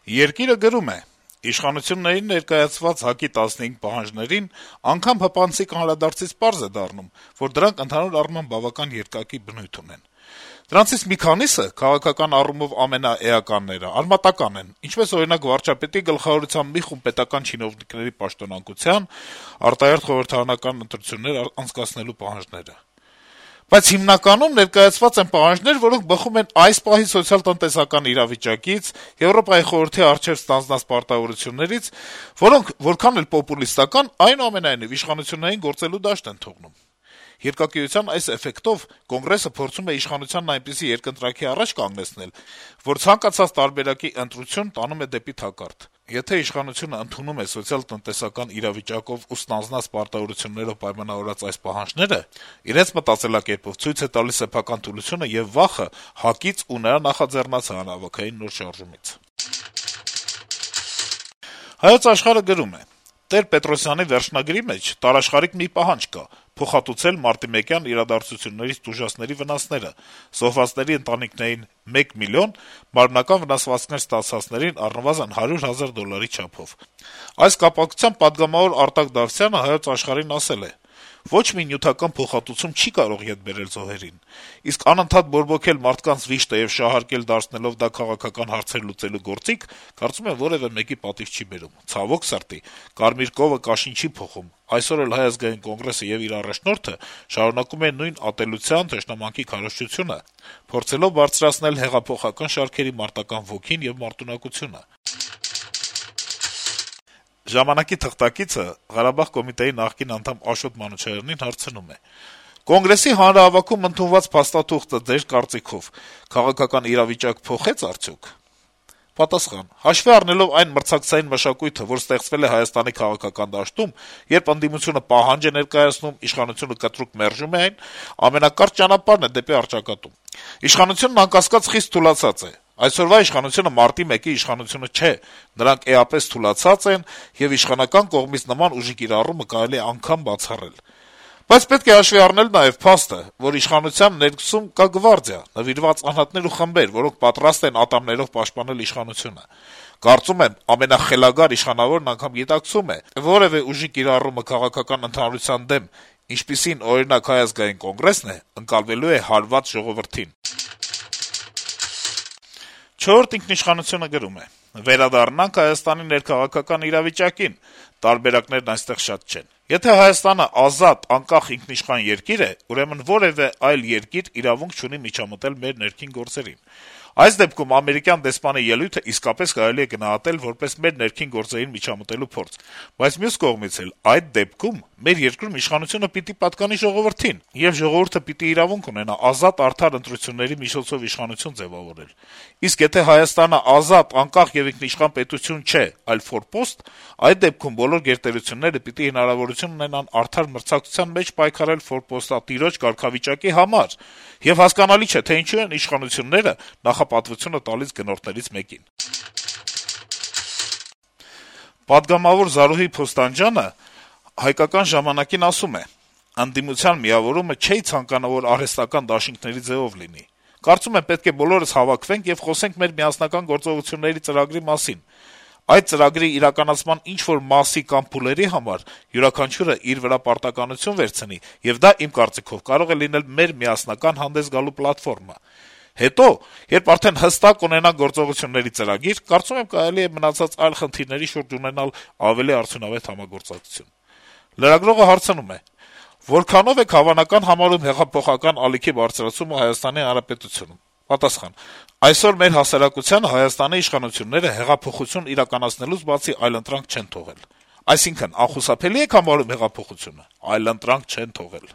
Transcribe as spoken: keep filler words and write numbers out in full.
Երկիրը գրում է. - «Իշխանություններին ներկայացված ՀԱԿ-ի տասնհինգ պահանջներին անգամ հպանցիկ անդրադարձից պարզ է դառնում, որ դրանք ընդհանուր առմամբ բավական երկակի բնույթ ունեն: Դրանցից մի քանիսը, քաղաքական առումով ամենաէականները, արմատական են, ինչպես օրինակ վարչապետի գլխավորությամբ մի խումբ պետական չինովնիկների պաշտոնանկության, արտահերթ խորհրդարանական ընտրություններ անցկացնելու պահանջները: Բայց հիմնականում ներկայացված են պահանջներ, որոնք բխում են այս պահի սոցիալ-տնտեսական իրավիճակից, Եվրոպայի խորհրդի առջեւ ստանձնած պարտավորություններից, որոնք որքան էլ պոպուլիստական, այնուամենայնիվ իշխանություններին գործելու դաշտ են թողնում: Երկակիության այս էֆեկտով Կոնգրեսը փորձում է իշխանությանն այնպիսի երկընտրաքի առաջ կանգնեցնել, որ ցանկացած տարբերակի ընտրություն տանում է դեպի թակարդ: Եթե իշխանությունը ընդունում է սոցիալ-տնտեսական իրավիճակով ու ստանձնած պարտավորություններով պայմանավորված այս պահանջները, իրենց մտածելակերպով ցույց է տալիս սեփական թուլությունը եւ վախը ՀԱԿ-ից ու նրա նախաձեռնած հանրահավաքային նոր շարժումից»: «Հայոց Աշխարհ»-ը գրում է. - «Տեր-Պետրոսյանի վերջնագրի մեջ տարաշխարհիկ մի պահանջ կա` փոխհատուցել մարտիմեկյան իրադարձություններից տուժածների վնասները, զոհվածների ընտանիքներին մեկ միլիոն, մարմնական վնասվածքներ ստացածներին առնվազն հարյուր հազար դոլարի չափով: Այս կապակցությամբ պատգամավոր Արտակ Դավթյանը «Հայոց Աշխարհ»-ին ասել է. «Ոչ մի նյութական փոխհատուցում չի կարող ետ բերել զոհերին: Իսկ անընդհատ բորբոքել մարդկանց վիշտը եւ շահարկել դարձնելով դա քաղաքական հարցեր լուծելու գործիք, կարծում եմ, որեւէ մեկի պատիվ չի բերում: Ցավոք սրտի, կարմիր կովը կաշին չի փոխում: Այսօր էլ Հայ ազգային կոնգրեսը եւ իր առաջնորդը շարունակում են նույն ատելության, թշնամանքի քարոզչությունը, փորձելով բարձրացնել հեղափոխական շարքերի մարտական ոգին եւ մարտունակությունը»: «Ժամանակ»-ի թղթակիցը Ղարաբաղ կոմիտեի նախկին անդամ Աշոտ Մանուչարյանին հարցնում է. - «Կոնգրեսի հանրահավաքում ընդունված փաստաթուղթը, Ձեր կարծիքով, քաղաքական իրավիճակ փոխե՞ց արդյոք»: Պատասխան. - «Հաշվի առնելով այն մրցակցային մշակույթը, որ ստեղծվել է Հայաստանի քաղաքական դաշտում, երբ ընդդիմությունը պահանջ է ներկայացնում, իշխանությունը կտրուկ մերժում է այն, ամենակարճ ճանապարհն է դեպի առճակատում: Իշխանությունն անկասկած խիստ թուլացած է: Այսօրվա իշխանությունը մարտի մեկի իշխանությունը չէ: Նրանք էապես թուլացած են, եւ իշխանական կողմից նման ուժի կիրառումը կարելի է անգամ բացառել: Բայց պետք է հաշվի առնել նաեւ փաստը, որ իշխանության ներսում կա գվարդիա, նվիրված անհատներ ու խմբեր, որոնք պատրաստ են ատամներով պաշտպանել իշխանությունը: Կարծում եմ, ամենախելագար իշխանավորն անգամ գիտակցում է, թե որեւէ ուժի կիրառումը քաղաքական ընդհանրության դեմ, ինչպիսին, օրինակ, Հայ ազգային կոնգրեսն է, ընկալվելու է հարված ժողովրդին»: «Չորրորդ ինքնիշխանություն»-ը գրում է. - «Վերադառնանք Հայաստանի ներքաղաքական իրավիճակին: Տարբերակներն այստեղ շատ չեն: Եթե Հայաստանը ազատ, անկախ, ինքնիշխան երկիր է, ուրեմն որեւէ այլ երկիր իրավունք չունի միջամտել մեր ներքին գործերին: Այս դեպքում ամերիկյան դեսպանի ելույթը իսկապես կարելի է գնահատել որպես մեր ներքին գործերին միջամտելու փորձ: Բայց մյուս կողմից էլ, այդ դեպքում մեր երկրում իշխանությունը պիտի պատկանի ժողովրդին, եւ ժողովուրդը պիտի իրավունք ունենա ազատ, արդար ընտրությունների միջոցով իշխանություն ձեւավորել: Իսկ եթե Հայաստանը ազատ, անկախ եւ ինքնիշխան պետություն չէ, այլ ֆորպոստ, այդ դեպքում բոլոր գերտերությունները պիտի հնարավորություն ունենան արդար մրցակցության մեջ պայքարել ֆորպոստատիրոջ կարգավիճակի համար: Եվ հասկանալի չէ, թե ինչու են իշխանությունները նախապատվությունը տալիս գնորդներից մեկին»: Պատգամավոր Զարուհի Փոստանջյանը «Հայկական ժամանակ»-ին ասում է. - «Ընդդիմության միավորումը չէի ցանկանում, որ արհեստական դաշինքների ձեւով լինի: Կարծում եմ, պետք է բոլորս հավաքվենք եւ խոսենք մեր միասնական գործողությունների ծրագրի մասին: Այդ ծրագրի իրականացման ինչ-որ մասի կամ փուլերի համար յուրաքանչյուրը իր վրա պարտականություն վերցնի, եւ դա, իմ կարծիքով, կարող է լինել մեր միասնական հանդես գալու պլատֆորմա: Հետո, երբ արդեն հստակ ունենանք գործողությունների ծրագիր, կարծում եմ, կարելի է մնացած այլ խնդիրների շուրջ ունենալ ավելի արդյունավետ համագործակցություն»: Լրագրողը հարցնում է. - «Որքանո՞վ եք հավանական համարում հեղափոխական ալիքի բարձրացումը Հայաստանի Հանրապետությունում»: Պատասխան. - «Այսօր մեր հասարակությանը Հայաստանի իշխանությունները հեղափոխություն իրականացնելուց բացի այլընտրանք չեն թողել»: Այսինքն` անխուսափելի՞ եք համարում հեղափոխությունը: Այլընտրանք չեն թողել»: